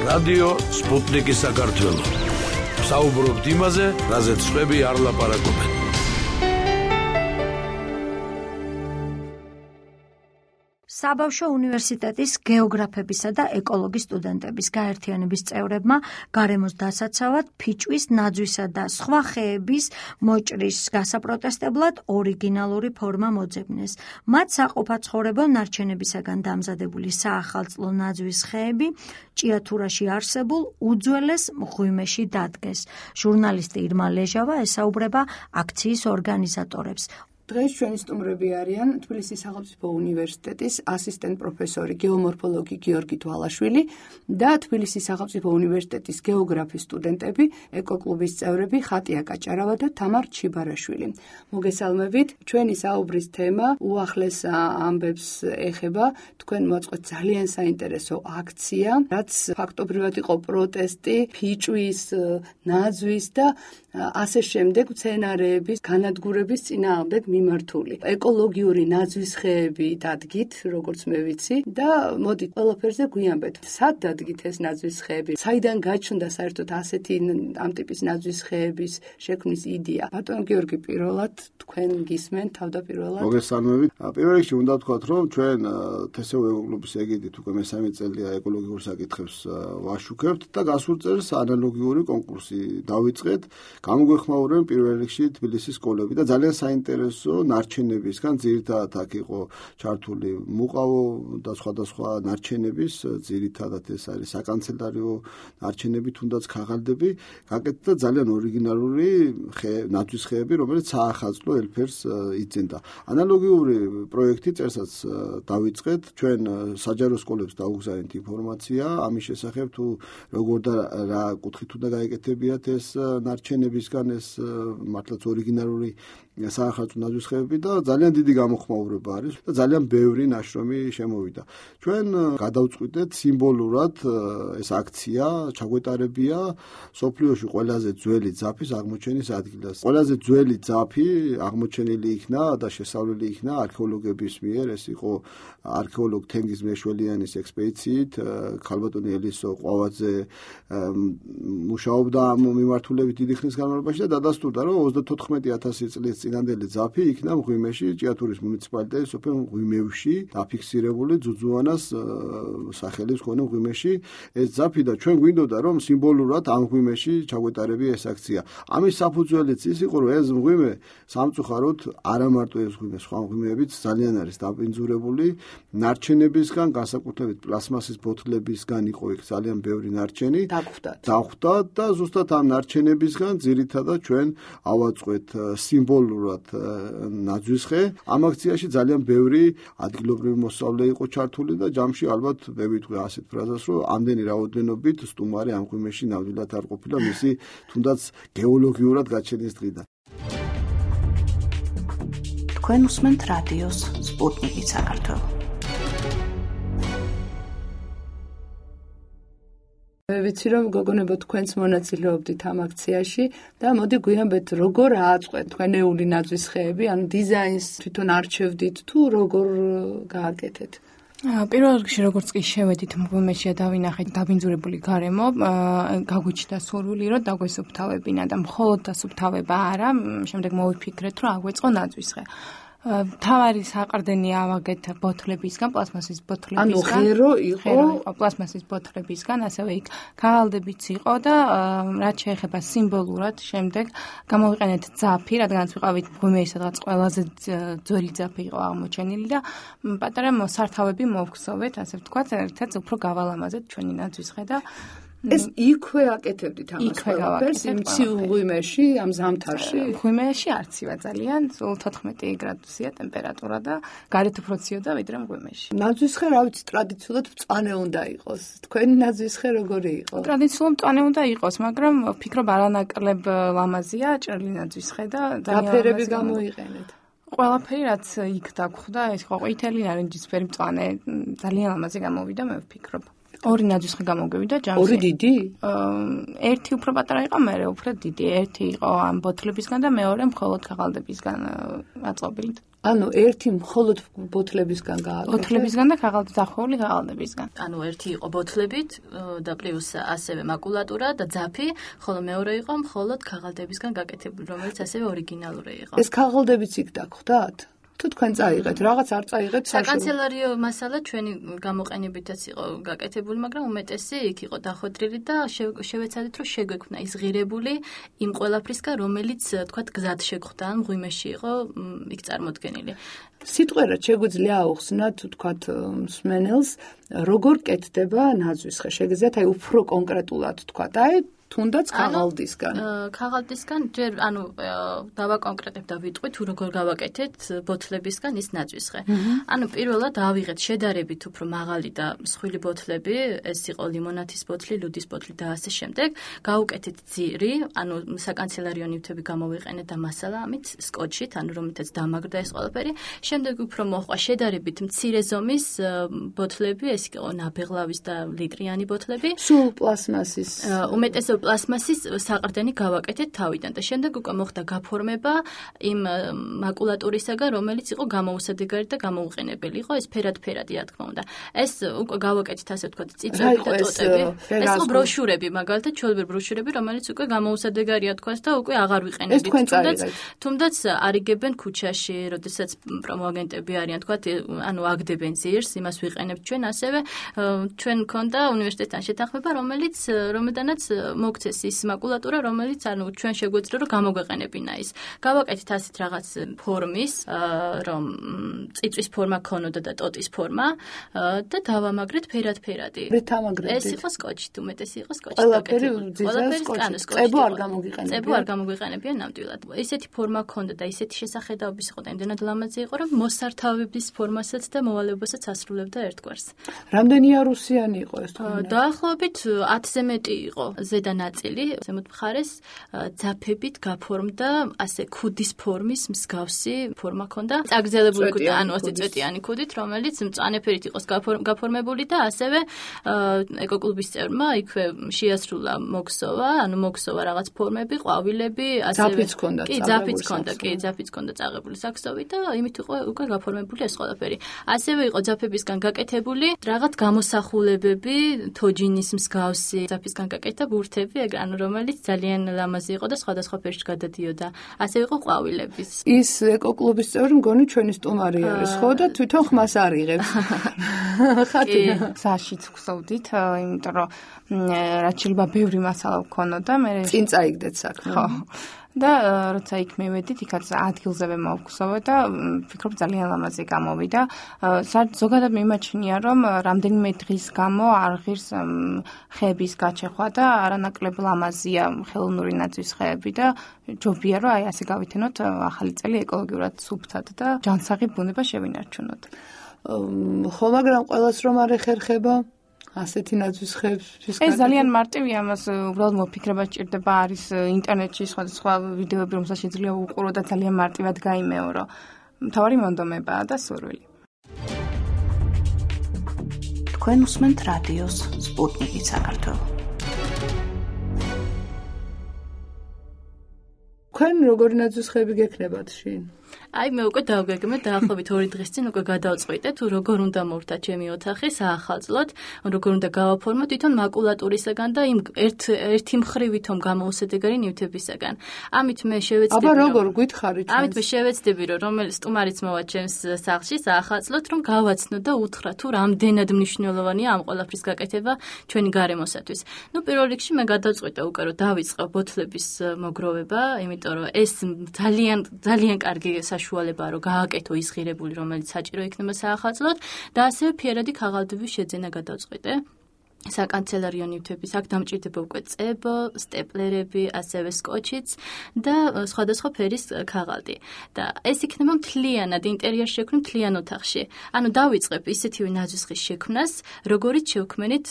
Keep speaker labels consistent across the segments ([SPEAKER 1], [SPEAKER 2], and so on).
[SPEAKER 1] რადიო სპუტნიკი საქართველო. საუბრობთ იმაზე, რაზეც სხვები არ ლაპარაკობენ.
[SPEAKER 2] საბავშვო უნივერსიტეტის გეოგრაფებისა და ეკოლოგიის სტუდენტების გაერთიანების წევრებმა გარემოს დასაცავად ფიჭვის, ნაძვისა და სხვა ხეების მოჭრის გასაპროტესტებლად ორიგინალური ფორმა მოძებნეს. მათ საყოფაცხოვრებო ნარჩენებისაგან დამზადებული საახალწლო ნაძვის ხეები ჭიათურაში არსებულ უძველეს მღვიმეში დადგეს. ჟურნალისტი ირმა ლეჟავა ესაუბრება აქციის ორგანიზატორებს.
[SPEAKER 3] დღეს ჩვენი სტუმრები არიან თბილისის სახელმწიფო უნივერსიტეტის ასისტენტ პროფესორი გეომორფოლოგი გიორგი თვალაშვილი და თბილისის სახელმწიფო უნივერსიტეტის გეოგრაფიის სტუდენტები, ეკოკლუბის წევრები ხატია კაჭარავა და თამარ ჩიბარაშვილი. მოგესალმებით, ჩვენი საუბრის თემა უახლეს ამბებს ეხება. თქვენ მოაწყვეთ ძალიან საინტერესო აქცია, რაც ფაქტობრივად იყო პროტესტი ფიჭვის, ნაძვის და ასე შემდეგ სცენარეების განადგურების წინააღმდეგ მიმართული. ეკოლოგიური ნაძვის ხეები დადგით, როგორც მე ვიცი, და მოდით ყველაფერზე გვიანბეთ. სად დადგით ეს ნაძვის ხეები? საიდან გაჩნდა საერთოდ ასეთი ამ ტიპის ნაძვის ხეების შექმნის იდეა? ბატონ გიორგი, პირველად თქვენ გისმენთ თავდაპირველად?
[SPEAKER 4] მოგესალმებით. პირველ რიგში უნდა ვთქვათ, რომ ჩვენ თესევ ეკოკლუბის ეგიდით უკვე მესამე წელია ეკოლოგიურ საკითხებს ვაშუქებთ და გასულ წელს ანალოგიური კონკურსი დავიწყეთ. გამოგვეხმაურებენ პირველ რიგში თბილისის სკოლები და ძალიან საინტერესო ნარჩენებისგან, ძირითადად აქ იყო ჩართული მუყავო და სხვადასხვა ნარჩენების, ძირითადად ეს არის საკანცელარიო ნარჩენები, თუნდაც ქაღალდები, გაკეთდა ძალიან ორიგინალური ნაძვის ხეები, რომელიც საახალწლო ელფერს იძენდა. ანალოგიური პროექტი წერსაც დავიწყეთ, ჩვენ საჯარო სკოლებს დავუგზავნით ინფორმაცია ამის შესახებ, თუ როგორ და რა კუთხით უნდა გაეკეთებიათ ეს ნარჩენებისგან ეს მართლაც ორიგინალური საახალწლო ნაძვის ხეები და ძალიან დიდი გამოხმაურება არის და ძალიან ბევრი ნაშრომი შემოვიდა. ჩვენ გადავწყვიტეთ სიმბოლურად ეს აქცია ჩაგვეტარებია სოფლიოში ყველაზე ძველი ძაფის აღმოჩენის ადგილას. ყველაზე ძველი ძაფი აღმოჩენილი იქნა და შესწავლილი იქნა არქეოლოგების მიერ. ეს იყო არქეოლოგ თენგიზ მეშველიანის ექსპედიციით. ქალბატონი ელისო ყვავაძე მუშაობდა ამ მიმართულებით დიდი ხნის განმავლობაში და დადასტურდა, რომ 34,000 წლის წინანდელი ძაფი იქნა მღვიმეში, ჭიათურის მუნიციპალიტეტის სოფელ მღვიმევში დაფიქსირებული ძუძუანას სახელის მქონე მღვიმეში ეს ძაფი და ჩვენ გვინდოდა, რომ სიმბოლურად ამ მღვიმეში ჩაგვეტარებია ეს აქცია. ამის საფუძველიც ის იყო, რომ ეს მღვიმე სამწუხაროდ არა მარტო ეს მღვიმე, სხვა მღვიმეებიც ძალიან არის დაბინძურებული ნარჩენებისგან, განსაკუთრებით პლასმასის ბოთლებისგან იყო იქ ძალიან ბევრი ნარჩენი დახვდა და ზუსტად ამ ნარჩენებისგან ძირითადად ჩვენ ავაწყვეთ სიმბოლურად ნაძვის ხე. ამ აქციაში ძალიან ბევრი ადგილობრივი მოსწავლე იყო ჩართული და ჯამში ალბათ მე ვიტყვი ასეთ ფრაზას, რომ ამდენი რაოდენობით სტუმარი ამ მღვიმეში ნამდვილად არ ყოფილა მისი თუნდაც გეოლოგიურად გაჩენის დღიდან.
[SPEAKER 5] თქვენ უსმენთ რადიოს სპუტნიკი საქართველო.
[SPEAKER 3] მე ვიცი, რომ გოგონებო თქვენც მონაწილეობდით ამ აქციაში და მოდი გვიანბეთ, როგორ ააწყვეთ თქვენეული ნაძვის ხეები, ანუ დიზაინს თვითონ არჩევდით თუ როგორ გააკეთეთ?
[SPEAKER 6] პირველ რიგში როგორც კი შევედით მღვიმეში და დავინახეთ დაბინძურებული გარემო, გაგვიჩნდა სურვილი, რომ დაგვესუფთავებინა და მხოლოდ დასუფთავება არა, შემდეგ მოვიფიქრეთ, რომ აგვეწყო ნაძვის ხე. თავარი საყრდენი ავაგეთ ბოთლებისგან, პლასმასის ბოთლებისგან.
[SPEAKER 3] ანუ ღერო იყო
[SPEAKER 6] პლასმასის ბოთლებისგან, ასევე იქ ქაღალდებიც იყო და რაც შეეხება სიმბოლურად, შემდეგ გამოვიყენეთ ძაფი, რადგანაც ვიყავით მღვიმეში, სადღაც ყველაზე ძველი ძაფი იყო აღმოჩენილი და პატარა მოსართავები მოვგზავნეთ, ასე ვთქვათ, ერთად უფრო გავალამაზეთ ჩვენი ნაძვის ხე და
[SPEAKER 3] ეს იქვე აკეთებდით ამას ყველაფერს, იმ ცივ მღვიმეში, ამ ზამთარში?
[SPEAKER 6] მღვიმეში არცივა ძალიან, სულ 14 გრადუსია ტემპერატურა და გარეთ უფრო ცივდა ვიდრე მღვიმეში.
[SPEAKER 3] ნაძვის ხე, რა ვიცი, ტრადიციულად მწვანე უნდა იყოს. თქვენი ნაძვის ხე როგორი იყო?
[SPEAKER 6] ტრადიციულად მწვანე უნდა იყოს, მაგრამ ვფიქრობ არანაკლებ ლამაზია ჭრელი ნაძვის ხე და
[SPEAKER 3] დაფერები გამოიყენეთ.
[SPEAKER 6] ყველაფერი რაც იქ დაგხვდა, ეს იყო ყვითელი, ნარინჯისფერი, მწვანე, ძალიან ლამაზი გამოვიდა, მე ვფიქრობ. ორი ნაძვის ხე გამოგევიდა ჯამში.
[SPEAKER 3] ორი დიდი?
[SPEAKER 6] ერთი უფრო პატარა იყო, მეორე უფრო დიდი. ერთი იყო ამ ბოთლებისგან და მეორე მხოლოდ ქაღალდებისგან აწყობილით.
[SPEAKER 3] ანუ ერთი მხოლოდ ბოთლებისგან გააკეთეთ?
[SPEAKER 6] ბოთლებისგან და დახვეული ქაღალდებისგან.
[SPEAKER 7] ანუ ერთი იყო ბოთლებით და პლუს ასევე მაკულატურა და ძაფი, ხოლო მეორე იყო მხოლოდ ქაღალდებისგან გაკეთებული, რომელიც ასევე ორიგინალური იყო.
[SPEAKER 3] ეს ქაღალდებიც იქ დაგხვდათ? თუ თქვენ წაიღეთ, რაღაც არ წაიღეთ
[SPEAKER 7] საკანცელერიო მასალა ჩვენი გამოყენებითაც იყო გაკეთებული, მაგრამ უმეტესი იქ იყო დახვედრილი და შევეცადეთ, რომ შეგვექმნა ის ღირებული იმ ყველაფრისგან, რომელიც თქვათ გზად შეგხვდა, ან მღვიმეში იყო იქ წარმოდგენილი.
[SPEAKER 3] სიტყვერად შეგვიძლია აუხსნათ, თქვათ, მსმენელს, როგორ კეთდება ნაძვისხე. შეგიძლიათ აი უფრო კონკრეტულად თქვათ, აი თუნდაც ქაღალდისგან.
[SPEAKER 7] ქაღალდისგან ჯერ დავაკონკრეტებ და ვიტყვი თუ როგორ გავაკეთეთ ბოთლებისგან ის ნაძვისხე. ანუ პირველად ავიღეთ შედარებით უფრო მაღალი და მსხვილი ბოთლები, ეს იყო ლიმონათის ბოთლი, ლუდის ბოთლი და ასე შემდეგ. გავუკეთეთ ძირი, ანუ საკანცელერიო ნივთები გამოვიყენეთ და მასალა ამით სკოჩით, ანუ რომელთაც დამაგრდა ეს ყველაფერი. შემდეგ უფრო მოხდა შედარებით მცირე ზომის ბოთლები, ეს იყო ნაბეღლავის და ლიტრიანი ბოთლები.
[SPEAKER 3] სულ პლასმასის.
[SPEAKER 7] უმეტესად პლასმასის საყრდენი გავაკეთეთ თავიდან და შემდეგ უკვე მოხდა გაფორმება იმ მაკულატურისაგან, რომელიც იყო გამოუსადეგარი და გამოუყენებელი იყო, ეს ფერად-ფერადი, რა თქმა უნდა. ეს უკვე გავაკეთეთ ასე ვთქვათ, წიწები და ტოტები. ეს იყო ბროშურები, მაგალითად, ჩვეულებრივი ბროშურები, რომელიც უკვე გამოუსადეგარია თქვას და უკვე აღარ ვიყენებთ. თუნდაც არიგებენ ქუჩაში, როდესაც პრომოაგენტები არიან, თქვათ, ანუ აგდებენ ძირს, იმას ვიყენებთ ჩვენ, ასევე ჩვენ მქონდა უნივერსიტეტთან შეთანხმება, რომელიდანაც მოგცეს ის მაკულატურა, რომელიც ანუ ჩვენ შეგვეძლო რომ გამოგვეყენებინა ის. გავაკეთეთ ასეთ რაღაც ფორმის, რომ წიწვის ფორმა ქონოდა და ტოტის ფორმა და დავამაგრეთ ფერად-ფერადი. ეს იყო სკოჩით, უმეტესი იყო სკოჩით.
[SPEAKER 3] ყველაფერი წებო არ გამოგვიყენებია.
[SPEAKER 7] წებო არ გამოგვიყენებია ნამდვილად. ისეთი ფორმა ქონდა და ისეთი შესახედაობის იყო და იმდენად ლამაზი იყო, რომ მოსართავების ფორმასაც და მოვალეობასაც ასრულებდა ერთგვარს.
[SPEAKER 3] რამდენი იარუსიანი იყო ეს თქო?
[SPEAKER 7] დაახლოებით 10-ზე მეტი იყო. ზედა ნაწილი, ზემოთ მხარეს ძაფებით გაფორმდა, ასე ქუდის ფორმის მსგავსი ფორმა ქონდა. წაგრძელებული ქუდი, ანუ 20 წვეტიანი ქუდით, რომელიც მწვანე-ფერით იყო გაფორმებული და ასევე ეკოკლუბის წევრმა იქვე შეასრულა მოგსოვა, ანუ მოგსოვა რაღაც ფორმები, ყვავილები, ასევე
[SPEAKER 3] ძაფიც ქონდა,
[SPEAKER 7] ძაფიც ქონდა წაღებული საქსოვი და იმით იყო უკვე გაფორმებული ეს ყველაფერი. ასევე იყო ძაფებისგან გაკეთებული რაღაც გამოსახულებები, თოჯინის მსგავსი ძაფისგან გაკეთდა ბურთები, ანუ რომელიც ძალიან ლამაზი იყო და სხვადასხვა ფერში გადადიოდა. ასევე იყო ყვავილების.
[SPEAKER 3] ის ეკოკლუბის წევრი მგონი ჩვენი სტუმარი არის, ხო და თვითონ ხმას არიღებს. ხათი.
[SPEAKER 6] საშიც ვხსოვდით, იმიტომ რომ რაც შეიძლება ბევრი მასალა ვქონოდა, მე
[SPEAKER 3] წინ წაიგდეთ საქმე.
[SPEAKER 6] ხო. და როცა იქ მივედით, იქაც ადგილზევე მოვგზავნე და ვფიქრობ ძალიან ლამაზი გამოვიდა. ზოგადად მიმაჩნია, რომ რამდენიმე დღის გამო არ ღირს ხეების გაჩეხვა და არანაკლებ ლამაზია ხელოვნური ნაძვის ხეები და ჯობია რომ აი ასე გავითენოთ ახალი წელი ეკოლოგიურად სუფთად და ჯანსაღი ბუნება შევინარჩუნოთ.
[SPEAKER 3] ხო, მაგრამ ყველას რომ არ ეხერხება ასეთი ნაძვის ხეების
[SPEAKER 6] ეს ძალიან მარტივია, ამას უბრალოდ მოფიქრება სჭირდება, არის ინტერნეტში სხვადასხვა ვიდეოები, რომელსაც შეიძლება უყურო და ძალიან მარტივად გაიმეორო. მთავარი მონდომებაა და სურვილი.
[SPEAKER 5] თქვენ უსმენთ რადიოს სპუტნიკი საქართველო.
[SPEAKER 3] თქვენ როგორი ნაძვის ხეები გექნებათ შინ?
[SPEAKER 7] აი მე უკვე დავგეგმე დაახლოებით 2 დღის წინ უკვე გადავწყვიტე თუ როგორ უნდა მოვხდა ჩემი ოთახი საახალწლოდ, როგორ უნდა გავაფორმო თვითონ მაკულატურისაგან და იმ ერთი მხრივითომ გამოუსადეგარი ნივთებისაგან. ამით მე შევეცდები
[SPEAKER 3] აბა როგორ გითხარი ჩვენ?
[SPEAKER 7] ამით მე შევეცდები რომ რომელიც სტუმარიც მოვა ჩემს სახლში საახალწლოდ რომ გავაცნო და უთხრა თუ რამდენად მნიშვნელოვანია ამ ყველაფრის გაკეთება ჩვენი გარემოსათვის. ნუ პირველ რიგში მე გადავწყვიტე უკვე რომ დავიწყო ბოთლების მოგროვება, იმიტომ რომ ეს ძალიან კარგი საშუალება რომ გააკეთო ის ღირებული, რომელიც საჭირო იქნება საახალწლოდ და ასევე ფერადი ქაღალდების შეძენა გადავწყვიტე. საკანცელერიო ნივთების აქ დამჭირდება უკვე წებო, სტეპლერები, ასევე სკოჩიც და სხვადასხვა ფერის ქაღალდი. და ეს იქნება მთლიანად ინტერიერში შექმნილ მთლიან ოთახში. ანუ დავიწყებ ისეთივე ნაძვის ხის შექმნას, როგორიც შევქმნით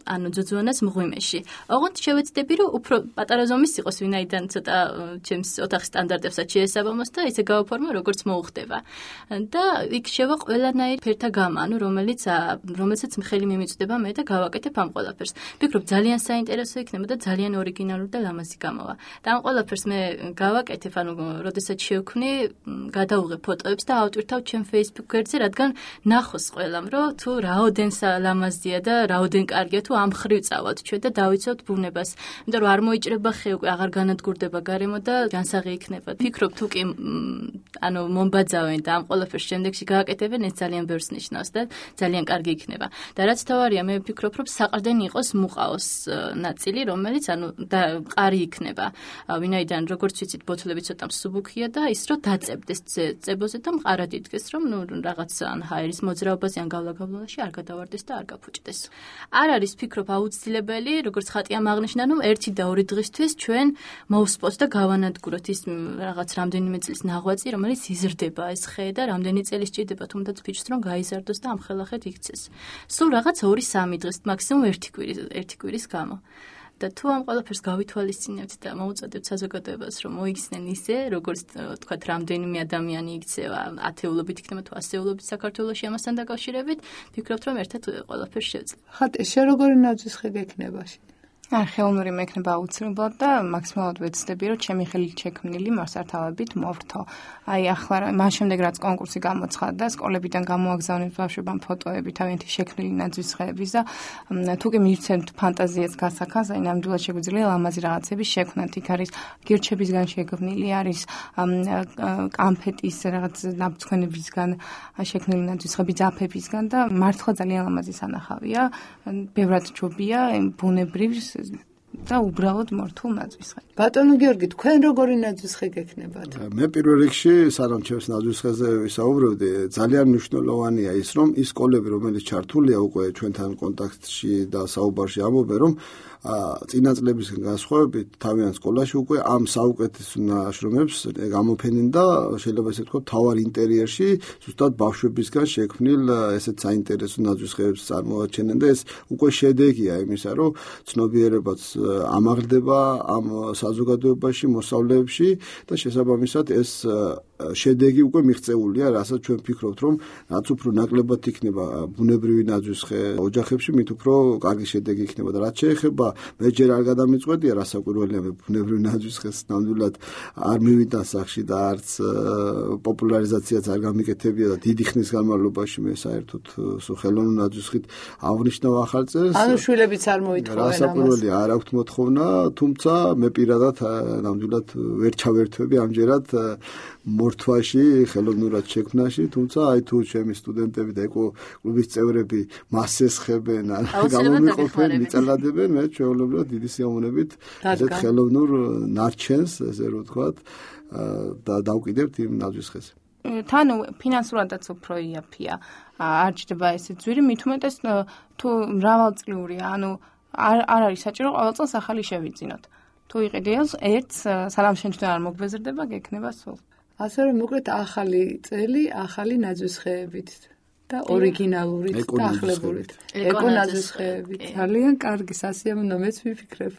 [SPEAKER 7] ანუ ძუძუანას მღვიმეში. ოღონდ შევეცდები, რომ უფრო პატარა ზომის იყოს, ვინაიდან ცოტა ჩემს ოთახის სტანდარტებსაც შეესაბამოს და ისე გავაფორმო, როგორც მოუხდება. და იქ შევა ყველანაირ ფერთა გამა, ანუ რომელსაც ხელი მიმიწვდება მე და გავაკეთებ ამ ყველაფერს. ვფიქრობ ძალიან საინტერესო იქნება და ძალიან ორიგინალური და ლამაზი გამოვა. და ამ ყველაფერს მე გავაკეთებ, ანუ როდესაც შევქმნი, გადავუღებ ფოტოებს და ავტვირთავ ჩემ Facebook გვერდზე, რადგან ნახოს ყველამ, რომ თუ რაოდენ ლამაზია და რაოდენ კარგია თუ ამ ხრივ წავალთ ჩვენ და დავიცავთ ბუნებას. იმიტომ რომ არ მოიჭრება ხე უკვე აღარ განადგურდება გარემო და ჯანსაღი იქნება. ვფიქრობ თუ კი ანუ მომბაძავენ და ამ ყველაფერს შემდეგში გააკეთებენ, ეს ძალიან ბევრს ნიშნავს და ძალიან კარგი იქნება. და რაც თავარია, მე ვფიქრობ, რომ საყრდენი იყოს მუყაოს ნაწილი, რომელიც ანუ მყარი იქნება. ვინაიდან როგორც ვიცით, ბოთლები ცოტა მსუბუქია და ის რომ დაწებდეს წებოზე და მყარად იდგეს, რომ რაღაც ან ჰაერის მოძრაობაზე ან გავლა-გავლაში არ გადავარდეს და არ გაფუჭდეს. არ არის ვფიქრობ აუცილებელი, როგორც ხატი ამაღნიშნა, რომ 1 და 2 დღისთვის ჩვენ მოვსპოთ და გავანადგუროთ ის რაღაც რამდენიმე წლის ნაღვაწი, რომელიც იზრდება ეს ხე და რამდენი წელი სჭირდება თუნდაც ფიჭს რომ გაიზარდოს და ამხელახეთ იქცეს. სულ რაღაც 2-3 დღის მაქსიმუმ 1 კვირის გამო. და თუ ამ ყველაფერს გავითვალისწინებთ და მოუწოდებთ საზოგადოებას, რომ მოიქცნენ ისე, როგორც თქვათ, რამდენიმე ადამიანი იქცევა, ათეულობით იქნება თუ ასეულობით საქართველოში ამასთან დაკავშირებით, ვფიქრობთ, რომ ერთად ყველაფერს შევძლებ.
[SPEAKER 3] ხატი, შენ როგორი ნაძვის ხე გექნება?
[SPEAKER 6] არქეოლოგიური მექნება აუცილებლად და მაქსიმალურად ვეცდები, რომ ჩემი ხელით შექმნილი მასართავებით მოვრთო. აი ახლა მას შემდეგ რაც კონკურსი გამოცხადდა, სკოლებიდან გამოაგზავნეს ბავშვებამ ფოტოები თავიანთი შექმნილი ნაძვის ხეების და თუ კი მივცემთ ფანტაზიას გასახანს, აი ნამდვილად შეგვიძლია ლამაზი რაღაცების შექმნათ. იქ არის გირჩებისგან შექმნილი, არის კამფეტის რაღაც ნაბძქონებისგან შექმნილი ნაძვის ხეები, ძაფებისგან და მართლა ძალიან ლამაზი სანახავია. ბევრად ჯობია ბუნებრივ და უბრალოდ მორთულ ნაძვის ხე.
[SPEAKER 3] ბატონო გიორგი, თქვენ როგორი ნაძვის ხე გექნებათ?
[SPEAKER 4] მე პირველ რიგში სანამ ჩემს ნაძვის ხეზე ვისაუბრებდი, ძალიან მნიშვნელოვანია ის, რომ ის სკოლები, რომელიც ჩართულია უკვე ჩვენთან კონტაქტში და საუბარში ამბობენ, რომ წინა წლებისგან განსხვავებით თავიანთ სკოლაში უკვე ამ საუკეთესო ნაშრომებს გამოფენენ და შეიძლება ესე ვთქვათ, თავარ ინტერიერში ზუსტად ბავშვებისგან შექმნილ ესეთ საინტერესო ნაძვის ხეებს წარმოაჩენენ და ეს უკვე შედეგია იმისა, რომ ცნობიერებაც ამაღლდება ამ საზოგადოებაში, მოსწავლეებში და შესაბამისად ეს შედეგი უკვე მიღწეულია, რასაც ჩვენ ვფიქრობთ, რომ რაც უფრო ნაკლებად იქნება ბუნებრივი ნაძვის ხე ოჯახებში, მით უფრო კარგი შედეგი იქნება და რაც შეეხება მე ჯერ არ გადამიწყვეტია რასაკვირველია მე ბუნებრივი ნაძვის ხეს ნამდვილად არ მივიდა სახში და არც პოპულარიზაციაც არ გამიკეთებია და დიდი ხნის განმავლობაში მე საერთოდ ხელოვნურ ნაძვის ხით აღნიშნავ ახალ წელს.
[SPEAKER 3] ანუ შვილებიც არ მოითხოვენ ამას.
[SPEAKER 4] რასაკვირველია არ აქვს მოთხოვნა, თუმცა მე პირადად ნამდვილად ვერ ჩავერთვები ამჯერად მორთვაში, ხელოვნურად შექმნაში, თუმცა აი თუ ჩემი სტუდენტები და ეკო-კლუბის წევრები მას ესხებენ, გამომიყოფენ, მიწალადებენ, მე ჩვეულებრივად დიდი სიამოვნებით ესეთ ხელოვნურ ნარჩენს, ესე რომ ვთქვათ, და დავკიდებთ იმ ნაძვის ხეს.
[SPEAKER 6] თან ფინანსურადაც უფრო იაფია. არ ჭირდება ესე ძვირი, მით უმეტეს თუ მრავალწლიურია, ანუ არ არის საჭირო ყოველ წელს ახალი შევიძინოთ. თუ იყიდეოს ერთს, სანამ შენ თვითონ არ მოგბეზრდება, გექნება სულ.
[SPEAKER 3] ასე რომ მოკლედ ახალი წელი, ახალი ნაძვის ხეებით და ორიგინალურით და ახლებურით. ეკო ნაძვის ხეებით. ძალიან კარგი, სასიამოვნო, მეც ვიფიქრებ.